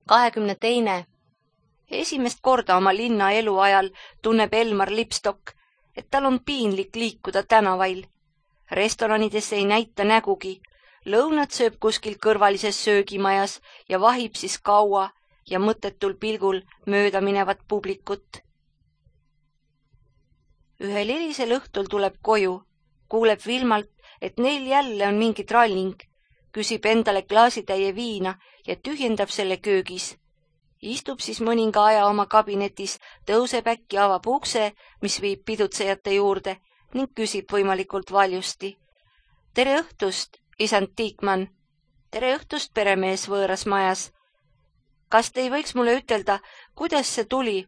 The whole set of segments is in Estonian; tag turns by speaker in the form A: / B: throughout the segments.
A: 22. Esimest korda oma linna elu ajal tunneb Elmar Lipstok, et tal on piinlik liikuda tänavail. Restoranidesse ei näita nägugi, lõunat sööb kuskil kõrvalises söögimajas ja vahib siis kaua ja mõttetul pilgul mööda minevat publikut. Ühel hilisel õhtul tuleb koju, kuuleb Vilmalt, et neil jälle on mingi tralling, küsib endale klaasitäie viina ja tühjendab selle köögis. Istub siis mõninga aja oma kabinetis, tõuseb äkki, avab ukse, mis viib pidutsejate juurde ning küsib võimalikult valjusti. Tere õhtust, isand Tiikmann. Tere õhtust, peremees võõras majas. Kas te ei võiks mulle ütelda, kuidas see tuli,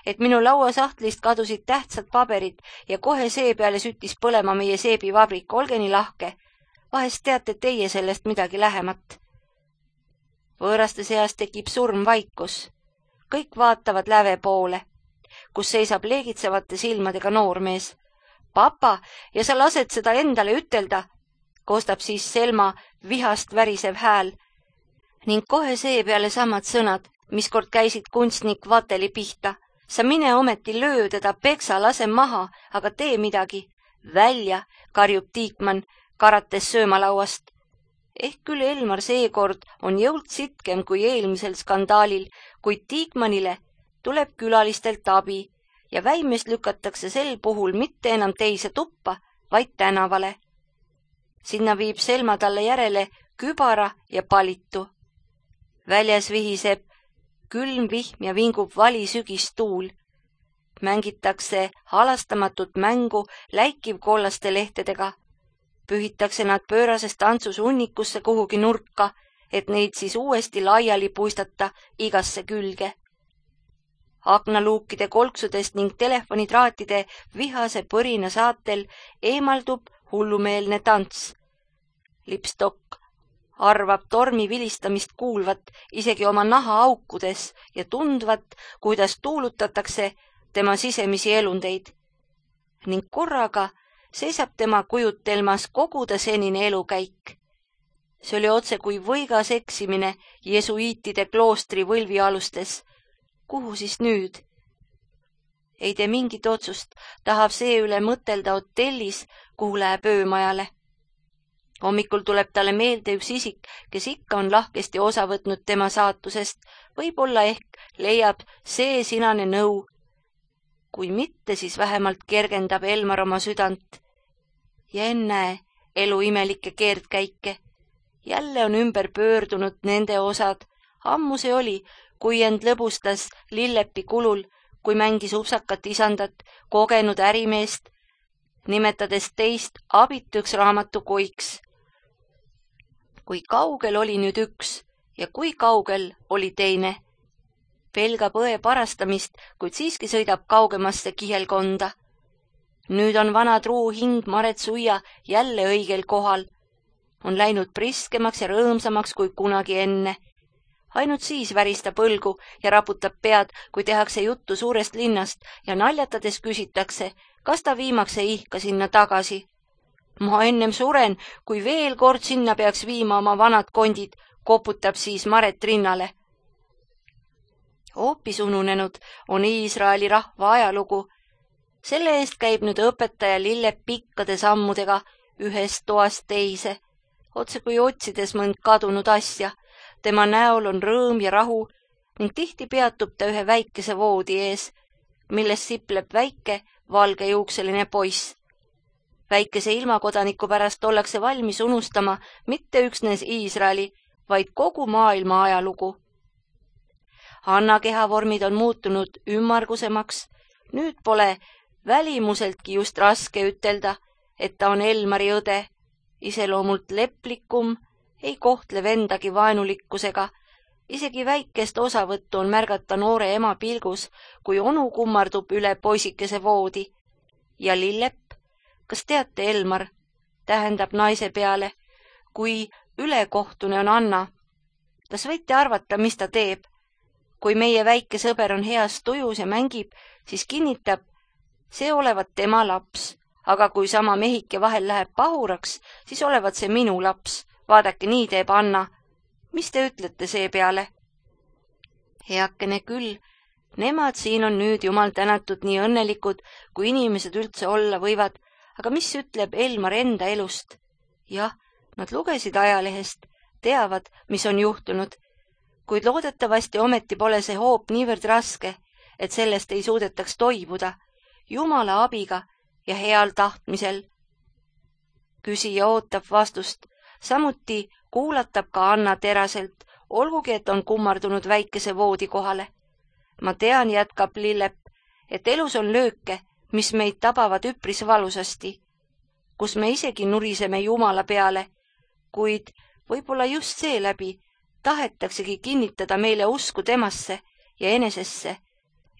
A: et minu lauasahtlist kadusid tähtsad paberid ja kohe see peale süttis põlema meie seebivabrik, olge nii lahke. Vahest teate teie sellest midagi lähemat. Võõraste seas tekib surmvaikus. Kõik vaatavad läve poole, kus seisab leegitsevate silmadega noormees. Papa, ja sa lased seda endale ütelda, koostab siis Selma vihast värisev hääl. Ning kohe see peale samad sõnad, mis kord käisid kunstnik Vateli pihta. Sa mine ometi löö teda, peksa, lase maha, aga tee midagi. Välja, karjub Tiikmann, karates söömalauast. Ehk küll Elmar seekord on jõult sitkem kui eelmisel skandaalil, kuid Tiikmannile tuleb külalistelt abi ja väimest lükatakse sel puhul mitte enam teise tuppa, vaid tänavale. Sinna viib Selma talle järele kübara ja palitu. Väljas vihiseb külm vihm ja vingub vali sügistuul. Mängitakse halastamatut mängu läikiv kollaste lehtedega. Pühitakse nad pöörases tantsus unnikusse kuhugi nurka, et neid siis uuesti laiali puistata igasse külge. Aknaluukide kolksudest ning telefonitraatide vihase põrina saatel eemaldub hullumeelne tants. Lipstok arvab tormi vilistamist kuulvat isegi oma naha aukudes ja tundvat, kuidas tuulutatakse tema sisemisi elundeid. Ning korraga seisab tema kujutelmas kogu ta senine elukäik. See oli otse kui võigas eksimine jesuiitide kloostri võlvialustes. Kuhu siis nüüd? Ei tee mingit otsust, tahab see üle mõtelda hotellis, kuhu läheb öömajale. Hommikul tuleb talle meelde üks isik, kes ikka on lahkesti osa võtnud tema saatusest, võib-olla ehk leiab see sinane nõu. Kui mitte, siis vähemalt kergendab Elmar oma südant. Ja ennäe elu imelikke keerdkäike. Jälle on ümber pöördunud nende osad. Ammu see oli, kui end lõbustas Lillepi kulul, kui mängis upsakat isandat, kogenud ärimeest, nimetades teist abituks raamatukoiks. Kui kaugel oli nüüd üks ja kui kaugel oli teine. Pelgab õe parastamist, kuid siiski sõidab kaugemasse kihelkonda. Nüüd on vana truu hing Maret Suia jälle õigel kohal. On läinud priskemaks ja rõõmsamaks kui kunagi enne. Ainult siis väristab õlgu ja raputab pead, kui tehakse juttu suurest linnast ja naljatades küsitakse, kas ta viimaks ei ihka sinna tagasi. Ma ennem suren, kui veel kord sinna peaks viima oma vanad kondid, koputab siis Maret rinnale. Hoopis ununenud on Iisraeli rahva ajalugu. Selle eest käib nüüd õpetaja Lillep pikkade sammudega ühest toast teise, otse kui otsides mõnd kadunud asja. Tema näol on rõõm ja rahu ning tihti peatub ta ühe väikese voodi ees, milles sipleb väike valgejuukseline poiss. Väikese ilmakodaniku pärast ollakse valmis unustama mitte üksnes Iisraeli, vaid kogu maailma ajalugu. Anna kehavormid on muutunud ümmargusemaks, nüüd pole välimuseltki just raske ütelda, et ta on Elmari õde, iseloomult leplikum, ei kohtle vendagi vaenulikkusega, isegi väikest osavõttu on märgata noore ema pilgus, kui onu kummardub üle poisikese voodi. Ja Lillep, kas teate, Elmar, tähendab naise peale, kui ülekohtune on Anna. Kas võite arvata, mis ta teeb? Kui meie väike sõber on heas tujus ja mängib, siis kinnitab, see olevat tema laps, aga kui sama mehike vahel läheb pahuraks, siis olevat see minu laps. Vaadake, nii teeb Anna. Mis te ütlete see peale? Heakene küll, nemad siin on nüüd jumal tänatud nii õnnelikud, kui inimesed üldse olla võivad, aga mis ütleb Elmar enda elust? Jah, nad lugesid ajalehest, teavad, mis on juhtunud, kuid loodetavasti ometi pole see hoop niivõrd raske, et sellest ei suudetaks toibuda, Jumala abiga ja heal tahtmisel. Küsija ootab vastust, samuti kuulatab ka Anna teraselt, olgugi et on kummardunud väikese voodi kohale. Ma tean, jätkab Lillep, et elus on lööke, mis meid tabavad üpris valusasti, kus me isegi nuriseme Jumala peale, kuid võib-olla just seeläbi tahetaksegi kinnitada meile usku temasse ja enesesse,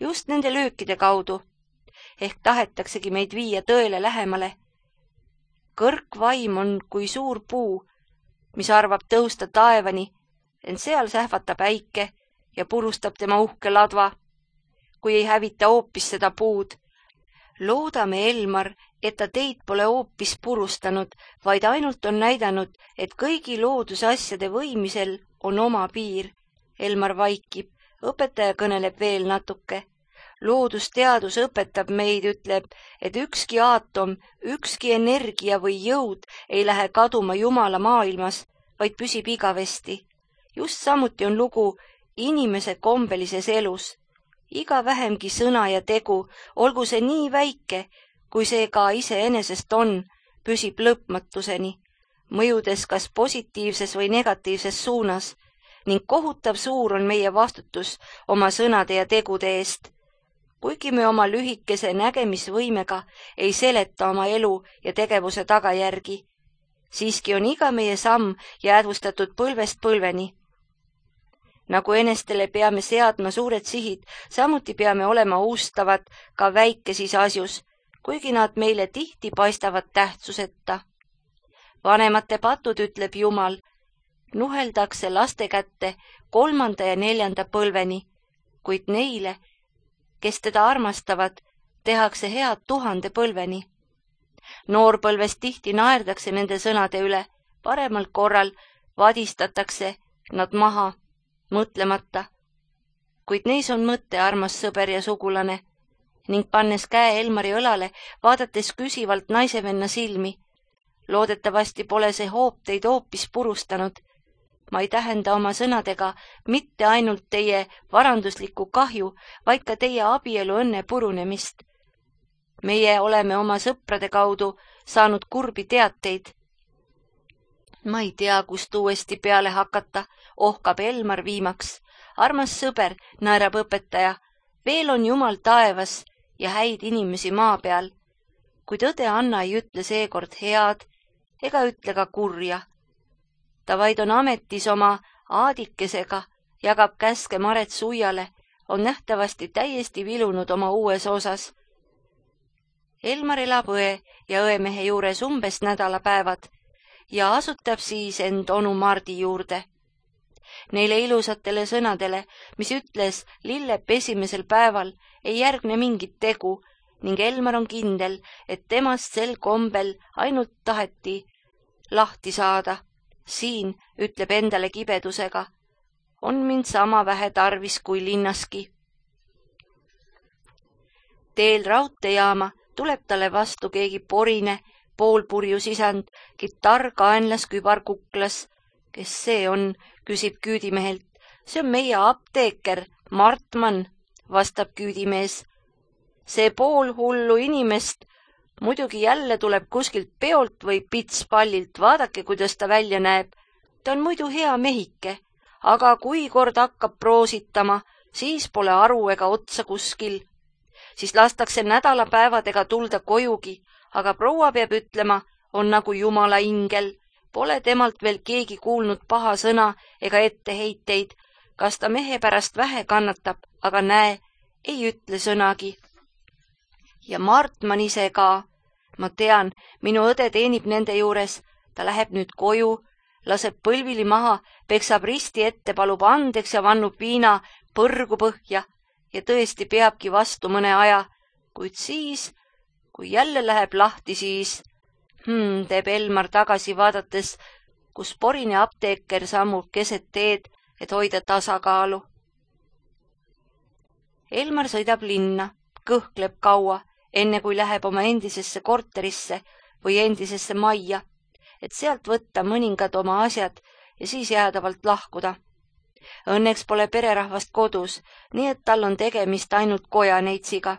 A: just nende löökide kaudu, ehk tahetaksegi meid viia tõele lähemale. Kõrgvaim on kui suur puu, mis arvab tõusta taevani, ent seal sähvata päike ja purustab tema uhke ladva, kui ei hävita hoopis seda puud. Loodame, Elmar, et ta teid pole hoopis purustanud, vaid ainult on näidanud, et kõigi loodusasjade võimisel on oma piir. Elmar vaikib, õpetaja kõneleb veel natuke. Loodusteadus õpetab meid, ütleb, et ükski aatom, ükski energia või jõud ei lähe kaduma Jumala maailmas, vaid püsib igavesti. Just samuti on lugu inimese kombelises elus. Iga vähemgi sõna ja tegu, olgu see nii väike, kui see ka iseenesest on, püsib lõpmatuseni, mõjudes kas positiivses või negatiivses suunas, ning kohutav suur on meie vastutus oma sõnade ja tegude eest. Kuigi me oma lühikese nägemisvõimega ei seleta oma elu ja tegevuse tagajärgi, siiski on iga meie samm jäädvustatud põlvest põlveni. Nagu enestele peame seadma suured sihid, samuti peame olema ustavad ka väikesis asjus, kuigi nad meile tihti paistavad tähtsuseta. Vanemate patud, ütleb Jumal, nuheldakse laste kätte 3. ja 4. põlveni, kuid neile, kes teda armastavad, tehakse head 1000 põlveni. Noorpõlves tihti naerdakse nende sõnade üle, paremal korral vadistatakse nad maha, mõtlemata. Kuid neis on mõte, armas sõber ja sugulane, ning pannes käe Elmari õlale, vaadates küsivalt naisevenna silmi. Loodetavasti pole see hoop teid hoopis purustanud. Ma ei tähenda oma sõnadega mitte ainult teie varanduslikku kahju, vaid ka teie abielu õnne purunemist. Meie oleme oma sõprade kaudu saanud kurbi teateid. Ma ei tea, kust uuesti peale hakata, ohkab Elmar viimaks. Armas sõber, naerab õpetaja, veel on Jumal taevas ja häid inimesi maa peal. Kuid õde Anna ei ütle seekord head ega ütle ka kurja. Ta vaid on ametis oma aadikesega, jagab käske Maret Suiale, on nähtavasti täiesti vilunud oma uues osas. Elmar elab õe ja õemehe juures umbes nädalapäevad ja asutab siis end onu Mardi juurde. Neile ilusatele sõnadele, mis ütles Lillep esimesel päeval, ei järgne mingit tegu ning Elmar on kindel, et temast sel kombel ainult taheti lahti saada. Siin, ütleb endale kibedusega, on mind sama vähe tarvis kui linnaski. Teel raudteejaama tuleb talle vastu keegi porine, poolpurjus isand, kitarr kaenlas, kübar kuklas. Kes see on, küsib küüdimehelt. See on meie apteeker, Martmann, vastab küüdimees. See poolhullu inimest muidugi jälle tuleb kuskilt peolt või pitspallilt, vaadake, kuidas ta välja näeb. Ta on muidu hea mehike, aga kui kord hakkab proositama, siis pole aru ega otsa kuskil. Siis lastakse nädalapäevadega tulda kojugi, aga proua peab ütlema, on nagu Jumala ingel. Pole temalt veel keegi kuulnud paha sõna ega etteheiteid. Kas ta mehe pärast vähe kannatab, aga näe, ei ütle sõnagi. Ja Martmann ise ka. Ma tean, minu õde teenib nende juures, ta läheb nüüd koju, laseb põlvili maha, peksab risti ette, palub andeks ja vannub viina põrgu põhja ja tõesti peabki vastu mõne aja, kuid siis, kui jälle läheb lahti, siis teeb Elmar tagasi vaadates, kus porine apteeker sammub keset teed, et hoida tasakaalu. Elmar sõidab linna, kõhkleb kaua, enne kui läheb oma endisesse korterisse või endisesse majja, et sealt võtta mõningad oma asjad ja siis jäädavalt lahkuda. Õnneks pole pererahvast kodus, nii et tal on tegemist ainult kojaneitsiga.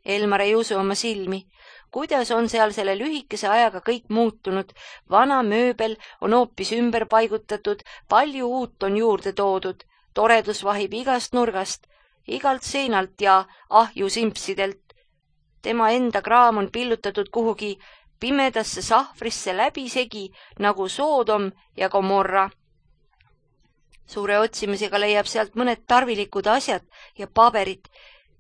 A: Elmar ei usu oma silmi. Kuidas on seal selle lühikese ajaga kõik muutunud? Vana mööbel on hoopis ümber paigutatud, palju uut on juurde toodud. Toredus vahib igast nurgast, igalt seinalt ja ahjusimpsidelt. Tema enda kraam on pillutatud kuhugi pimedasse sahvrisse läbisegi nagu Soodom ja Gomorra. Suure otsimisega leiab sealt mõned tarvilikud asjad ja paberid.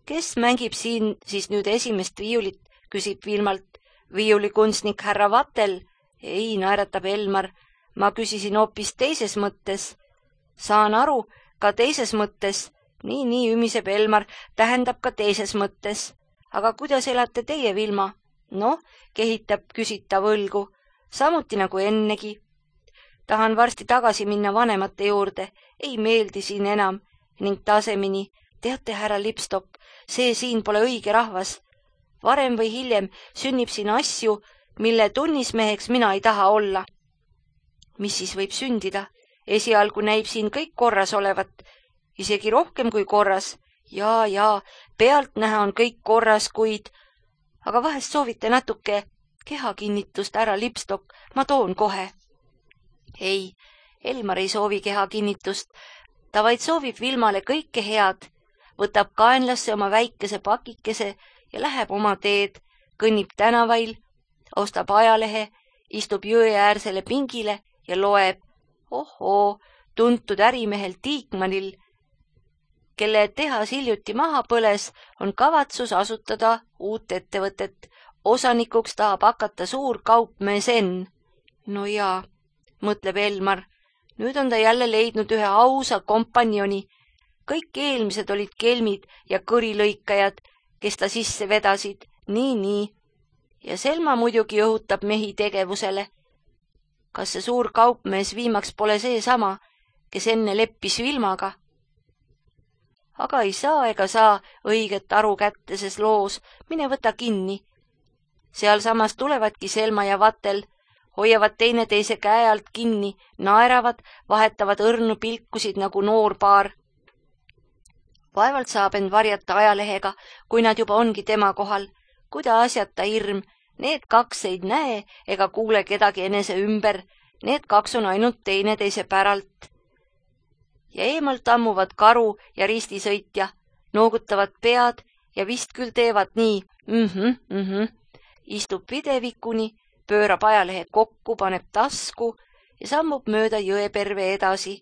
A: Kes mängib siin siis nüüd esimest viiulit, küsib Vilmalt. Viiulikunstnik härra Vatel. Ei, naeratab Elmar. Ma küsisin hoopis teises mõttes. Saan aru, ka teises mõttes. Nii ümiseb Elmar, tähendab ka teises mõttes. Aga kuidas elate teie, Vilma? Noh, kehitab küsitav õlgu. Samuti nagu ennegi. Tahan varsti tagasi minna vanemate juurde. Ei meeldi siin enam. Ning tasemini. Teate, härra Lipstok, see siin pole õige rahvas. Varem või hiljem sünnib siin asju, mille tunnismeheks mina ei taha olla. Mis siis võib sündida? Esialgu näib siin kõik korras olevat. Isegi rohkem kui korras. Jaa, pealtnäha on kõik korras, kuid... Aga vahest soovite natuke kehakinnitust, härra Lipstok, ma toon kohe. Ei, Elmar ei soovi kehakinnitust. Ta vaid soovib Vilmale kõike head. Võtab kaenlasse oma väikese pakikese ja läheb oma teed, kõnnib tänavail, ostab ajalehe, istub jõeäärsele pingile ja loeb. Ohoo, tuntud ärimehel Tiikmanil, kelle tehas hiljuti maha põles, on kavatsus asutada uut ettevõtet. Osanikuks tahab hakata suur kaupmees Enn. No jaa, mõtleb Elmar. Nüüd on ta jälle leidnud ühe ausa kompanjoni. Kõik eelmised olid kelmid ja kõrilõikajad, kes ta sisse vedasid. Nii. Ja Selma muidugi õhutab mehi tegevusele. Kas see suur kaupmees viimaks pole seesama, kes enne leppis Vilmaga? Aga ei saa ega saa õiget aru kätte ses loos. Mine võta kinni. Seal samas tulevadki Selma ja Vatel. Hoiavad teineteise käe alt kinni, naeravad, vahetavad õrnu pilkusid nagu noorpaar. Vaevalt saab end varjata ajalehega, kui nad juba ongi tema kohal. Kuida asjata hirm, need kaks ei näe ega kuule kedagi enese ümber, need kaks on ainult teineteise päralt. Ja eemalt ammuvad karu ja ristisõitja, noogutavad pead ja vist küll teevad nii, Istub videvikuni, pöörab ajalehe kokku, paneb tasku ja sammub mööda jõeperve edasi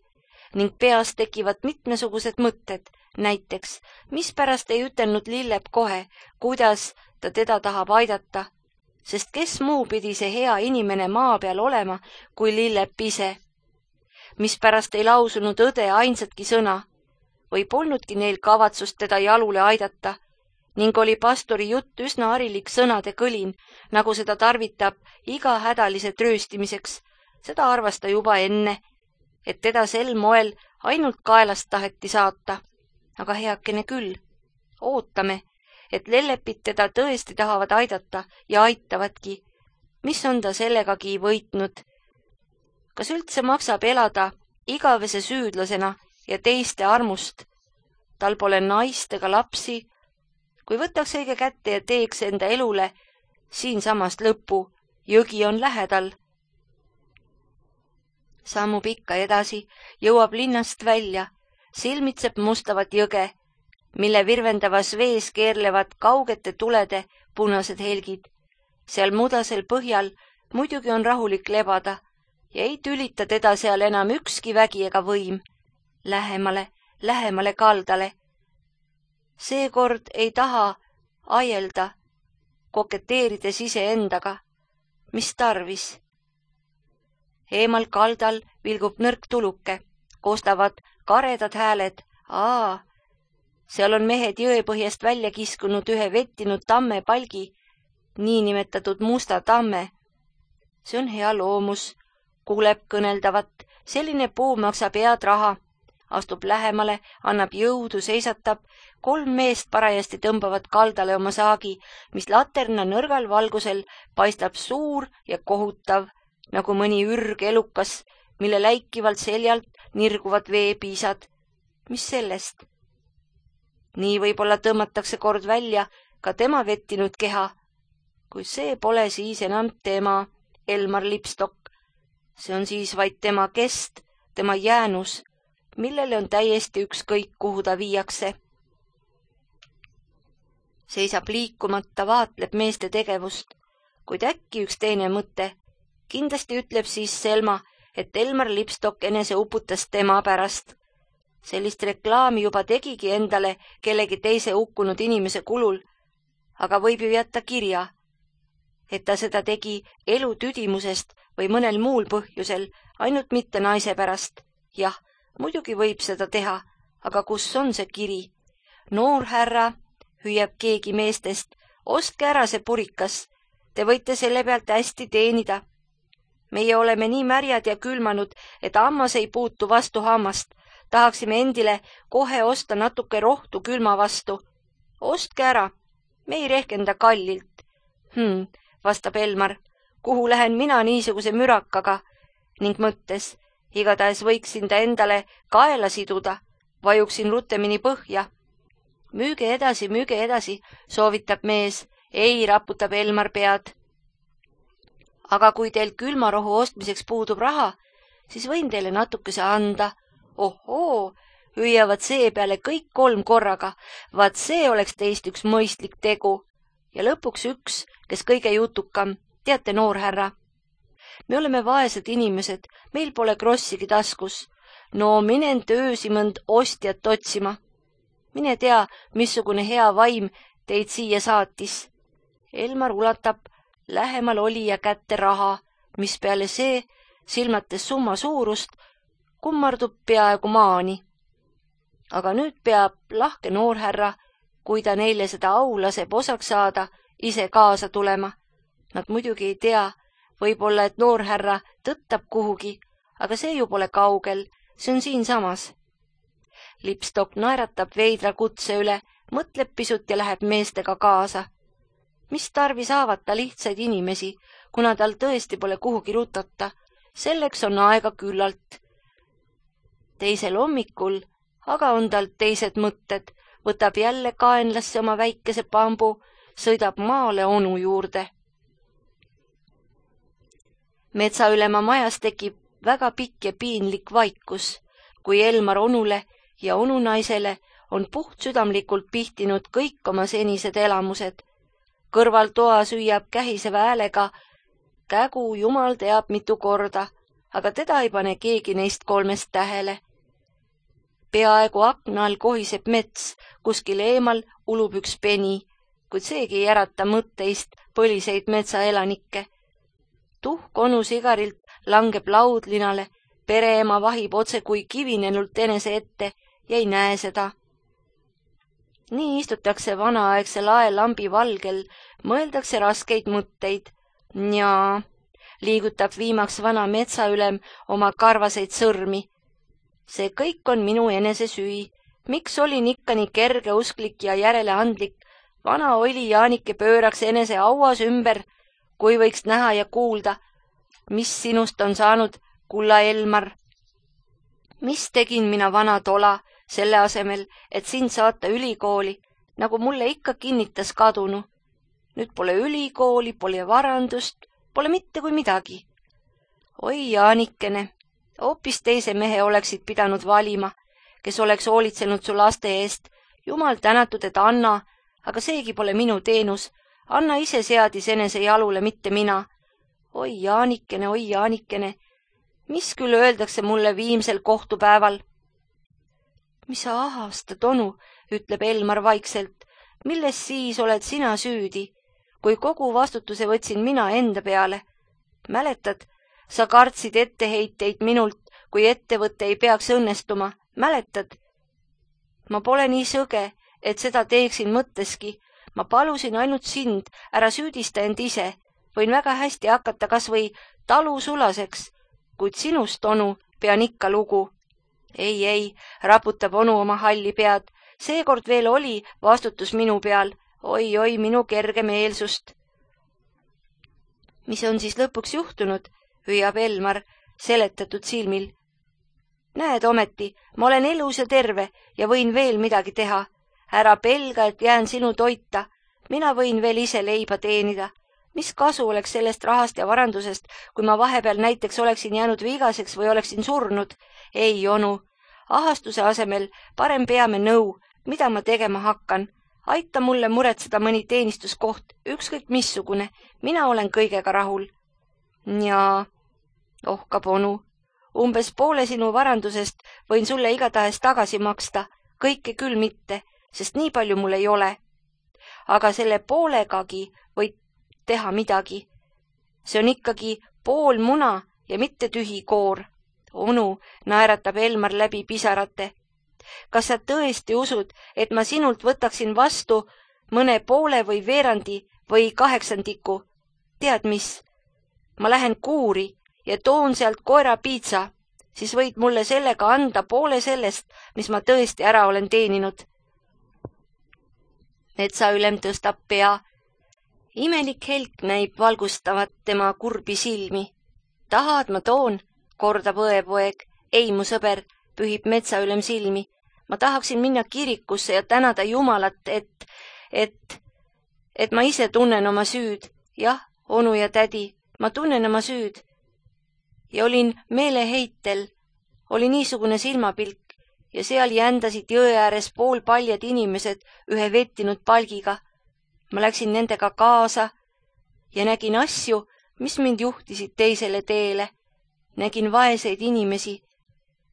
A: ning peas tekivad mitmesugused mõtted. Näiteks, mispärast ei ütelnud Lillep kohe, kuidas ta teda tahab aidata, sest kes muu pidi see hea inimene maa peal olema kui Lillep ise. Mispärast ei lausunud õde ainsatki sõna või polnudki neil kavatsust teda jalule aidata ning oli pastori jutt üsna harilik sõnade kõlin, nagu seda tarvitab iga hädalise trööstimiseks. Seda arvas ta juba enne, et teda sel moel ainult kaelast taheti saata. Aga heakene küll, ootame, et Lellepit teda tõesti tahavad aidata ja aitavadki. Mis on ta sellegagi võitnud? Kas üldse maksab elada igavese süüdlasena ja teiste armust? Tal pole naist ega lapsi. Kui võtaks õige kätte ja teeks enda elule siinsamast lõpu, jõgi on lähedal. Sammub ikka edasi, jõuab linnast välja, silmitseb mustavat jõge, mille virvendavas vees keerlevad kaugete tulede punased helgid. Seal mudasel põhjal muidugi on rahulik lebada ja ei tülita teda seal enam ükski vägi ega võim. Lähemale kaldale. Seekord ei taha aielda, koketeerides iseendaga. Mis tarvis? Eemal kaldal vilgub nõrk tuluke, kostavad karedad hääled. Seal on mehed jõepõhjast välja kiskunud ühe vettinud tamme palgi, niinimetatud musta tamme. See on hea loomus, kuuleb kõneldavat, selline puu maksab head raha, astub lähemale, annab jõudu, seisatab. 3 meest parajasti tõmbavad kaldale oma saagi, mis laterna nõrgal valgusel paistab suur ja kohutav, nagu mõni ürgelukas, mille läikivalt seljalt nirguvad veepiisad. Mis sellest? Nii võib-olla tõmmatakse kord välja ka tema vettinud keha. Kui see pole siis enam tema, Elmar Lipstok. See on siis vaid tema kest, tema jäänus, millele on täiesti ükskõik, kuhu ta viiakse. Seisab liikumata, vaatleb meeste tegevust, kuid äkki üks teine mõte. Kindlasti ütleb siis Selma, et Elmar Lipstok enese uputas tema pärast. Sellist reklaami juba tegigi endale kellegi teise hukkunud inimese kulul, aga võib ju jätta kirja, et ta seda tegi elu tüdimusest või mõnel muul põhjusel, ainult mitte naise pärast. Jah, muidugi võib seda teha, aga kus on see kiri? Noor härra, hüüab keegi meestest, ostke ära see purikas, te võite selle pealt hästi teenida. Meie oleme nii märjad ja külmanud, et hammas ei puutu vastu hammast. Tahaksime endile kohe osta natuke rohtu külma vastu. Ostke ära, me ei rehkenda kallilt. Vastab Elmar, kuhu lähen mina niisuguse mürakaga, ning mõttes, igatahes võiksin ta endale kaela siduda, vajuksin rutemini põhja. Müüge edasi, soovitab mees, ei, raputab Elmar pead. Aga kui teil külmarohu ostmiseks puudub raha, siis võin teile natukese anda. Ohoo, hüüavad seepeale kõik 3 korraga, vaat see oleks teist üks mõistlik tegu. Ja lõpuks üks, kes kõige jutukam, teate, noor härra. Me oleme vaesed inimesed, meil pole krossigi taskus. No minen töösi mõnd ostjat otsima. Mine tea, missugune hea vaim teid siia saatis. Elmar ulatab lähemal olija kätte raha, mis peale see, silmates summa suurust, kummardub peaaegu maani. Aga nüüd peab lahke noorhärra, kui ta neile seda au laseb osaks saada, ise kaasa tulema. Nad muidugi ei tea, võib-olla, et noorhärra tõttab kuhugi, aga see ju pole kaugel, see on siinsamas. Lipstok naeratab veidra kutse üle, mõtleb pisut ja läheb meestega kaasa. Mis tarvis haavata lihtsaid inimesi, kuna tal tõesti pole kuhugi rutata, selleks on aega küllalt. Teisel hommikul aga on tal teised mõtted, võtab jälle kaenlasse oma väikese pambu, sõidab maale onu juurde. Metsaülema majas tekib väga pikk ja piinlik vaikus, kui Elmar onule ja onunaisele on puhtsüdamlikult pihtinud kõik oma senised elamused. Kõrval toa süüab kähiseva häälega, kägu jumal teab mitu korda, aga teda ei pane keegi neist 3 tähele. Peaaegu akna all kohiseb mets, kuskil eemal ulub üks peni, kuid seegi ei ärata mõtteist põliseid metsaelanikke. Tuhk onu sigarilt langeb laudlinale, pereema vahib otse kui kivinenult enese ette ja ei näe seda. Nii istutakse vanaaegse laelambi valgel, mõeldakse raskeid mõtteid. Njaa, liigutab viimaks vana metsaülem oma karvaseid sõrmi. See kõik on minu enese süü. Miks olin ikka nii kergeusklik ja järeleandlik? Vana oli Jaanike pööraks enese auas ümber, kui võiks näha ja kuulda, mis sinust on saanud, kulla Elmar. Mis tegin mina vana tola, selle asemel, et sind saata ülikooli, nagu mulle ikka kinnitas kadunu. Nüüd pole ülikooli, pole varandust, pole mitte kui midagi. Oi, Jaanikene, hoopis teise mehe oleksid pidanud valima, kes oleks hoolitsenud su laste eest. Jumal tänatud, et Anna, aga seegi pole minu teenus. Anna ise seadis enese jalule, mitte mina. Oi, Jaanikene, mis küll öeldakse mulle viimsel kohtupäeval? Mis sa ahastad, onu, ütleb Elmar vaikselt. Milles siis oled sina süüdi, kui kogu vastutuse võtsin mina enda peale? Mäletad, sa kartsid etteheiteid minult, kui ettevõtte ei peaks õnnestuma. Mäletad? Ma pole nii sõge, et seda teeksin mõtteski. Ma palusin ainult sind, ära süüdista end ise. Võin väga hästi hakata kas või talusulaseks, kuid sinust, onu, pean ikka lugu. ei, raputab onu oma halli pead. Seekord veel oli vastutus minu peal. Oi, minu kergemeelsust. Mis on siis lõpuks juhtunud, hüüab Elmar seletatud silmil. Näed ometi, ma olen elus ja terve ja võin veel midagi teha. Ära pelga, et jään sinu toita. Mina võin veel ise leiba teenida. Mis kasu oleks sellest rahast ja varandusest, kui ma vahepeal näiteks oleksin jäänud vigaseks või oleksin surnud? Ei, onu. Ahastuse asemel parem peame nõu, mida ma tegema hakkan. Aita mulle muretseda mõni teenistuskoht, ükskõik missugune. Mina olen kõigega rahul. Jaa, ohkab onu. Umbes poole sinu varandusest võin sulle igatahes tagasi maksta. Kõike küll mitte, sest nii palju mul ei ole. Aga selle poolegagi võid teha midagi. See on ikkagi pool muna ja mitte tühi koor. Onu, naeratab Elmar läbi pisarate. Kas sa tõesti usud, et ma sinult võtaksin vastu mõne poole või veerandi või 8/8? Tead mis? Ma lähen kuuri ja toon sealt koera piitsa, siis võid mulle sellega anda poole sellest, mis ma tõesti ära olen teeninud. Metsaülem tõstab pea. Imelik helk näib valgustavat tema kurbi silmi. Tahad, ma toon, kordab õepoeg. Ei, mu sõber, pühib metsaülem silmi. Ma tahaksin minna kirikusse ja tänada Jumalat, et ma ise tunnen oma süüd. Jah, onu ja tädi, ma tunnen oma süüd. Ja olin meeleheitel, oli niisugune silmapilk ja seal jändasid jõe ääres poolpaljad inimesed ühe vettinud palgiga. Ma läksin nendega kaasa ja nägin asju, mis mind juhtisid teisele teele. Nägin vaeseid inimesi,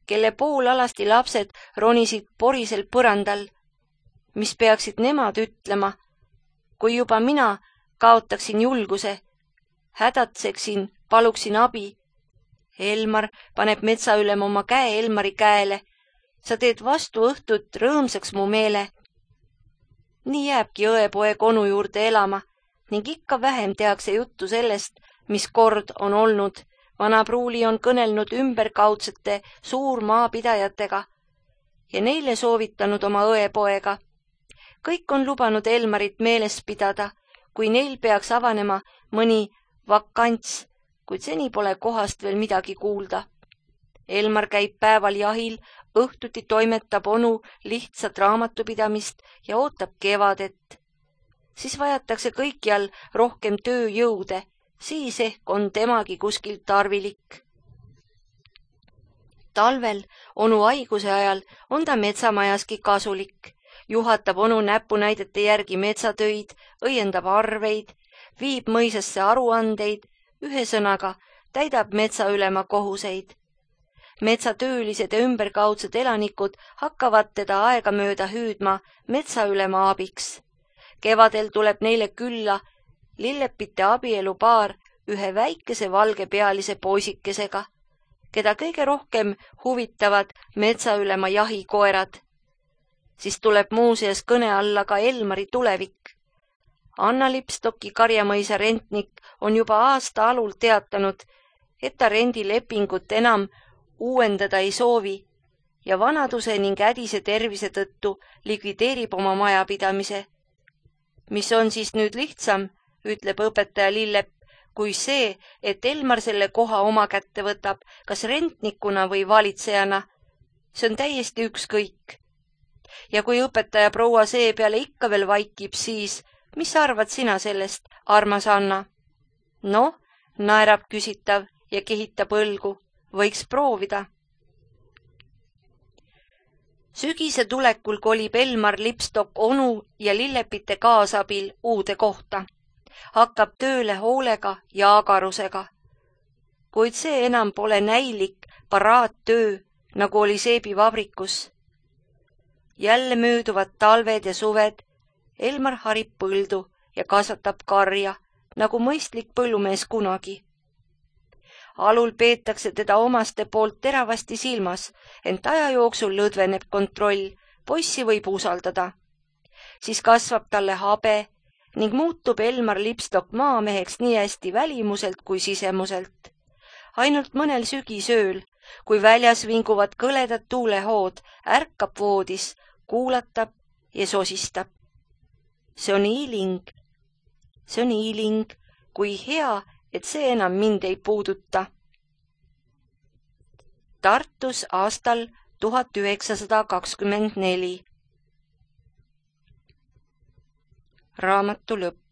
A: kelle poolalasti lapsed ronisid porisel põrandal. Mis peaksid nemad ütlema, kui juba mina kaotaksin julguse, hädatseksin, paluksin abi. Elmar paneb metsaülem oma käe Elmari käele. Sa teed vastu õhtut rõõmsaks mu meele. Nii jääbki õepoeg onu juurde elama ning ikka vähem tehakse juttu sellest, mis kord on olnud. Vana pruuli on kõnelnud ümberkaudsete suurmaapidajatega ja neile soovitanud oma õepoega. Kõik on lubanud Elmarit meeles pidada, kui neil peaks avanema mõni vakants, kuid seni pole kohast veel midagi kuulda. Elmar käib päeval jahil, õhtuti toimetab onu lihtsat raamatupidamist ja ootab kevadet. Siis vajatakse kõikjal rohkem tööjõude, siis ehk on temagi kuskil tarvilik. Talvel onu haiguse ajal on ta metsamajaski kasulik. Juhatab onu näpunäidete järgi metsatöid, õiendab arveid, viib mõisasse aruandeid, ühesõnaga täidab metsaülema kohuseid. Metsatöölised ja ümberkaudsed elanikud hakkavad teda aegamööda hüüdma metsaülema abiks. Kevadel tuleb neile külla Lillepite abielupaar ühe väikese valgepealise poisikesega, keda kõige rohkem huvitavad metsaülema jahikoerad. Siis tuleb muuseas kõne alla ka Elmari tulevik. Anna Lipstocki karjamõisa rentnik on juba aasta alul teatanud, et ta rendilepingut enam uuendada ei soovi ja vanaduse ning ädise tervise tõttu likvideerib oma majapidamise. Mis on siis nüüd lihtsam, ütleb õpetaja Lillepp, kui see, et Elmar selle koha oma kätte võtab, kas rentnikuna või valitsejana. See on täiesti ükskõik. Ja kui õpetaja proua seepeale ikka veel vaikib, siis mis arvad sina sellest, armas Anna? Noh, naerab küsitav ja kehitab õlgu. Võiks proovida. Sügise tulekul kolib Elmar Lipstock onu ja Lillepite kaasabil uude kohta. Hakkab tööle hoolega ja agarusega. Kuid see enam pole näilik paraattöö, nagu oli seebivabrikus. Jälle mööduvad talved ja suved. Elmar harib põldu ja kasvatab karja, nagu mõistlik põllumees kunagi. Alul peetakse teda omaste poolt teravasti silmas, ent aja jooksul lõdveneb kontroll, poissi võib usaldada. Siis kasvab talle habe ning muutub Elmar Lipstock maameheks nii hästi välimuselt kui sisemuselt. Ainult mõnel sügisööl, kui väljas vinguvad kõledad tuulehood, ärkab voodis, kuulatab ja sosistab. See on iiling, kui hea, et see enam mind ei puuduta. Tartus aastal 1924. Raamatu lõpp.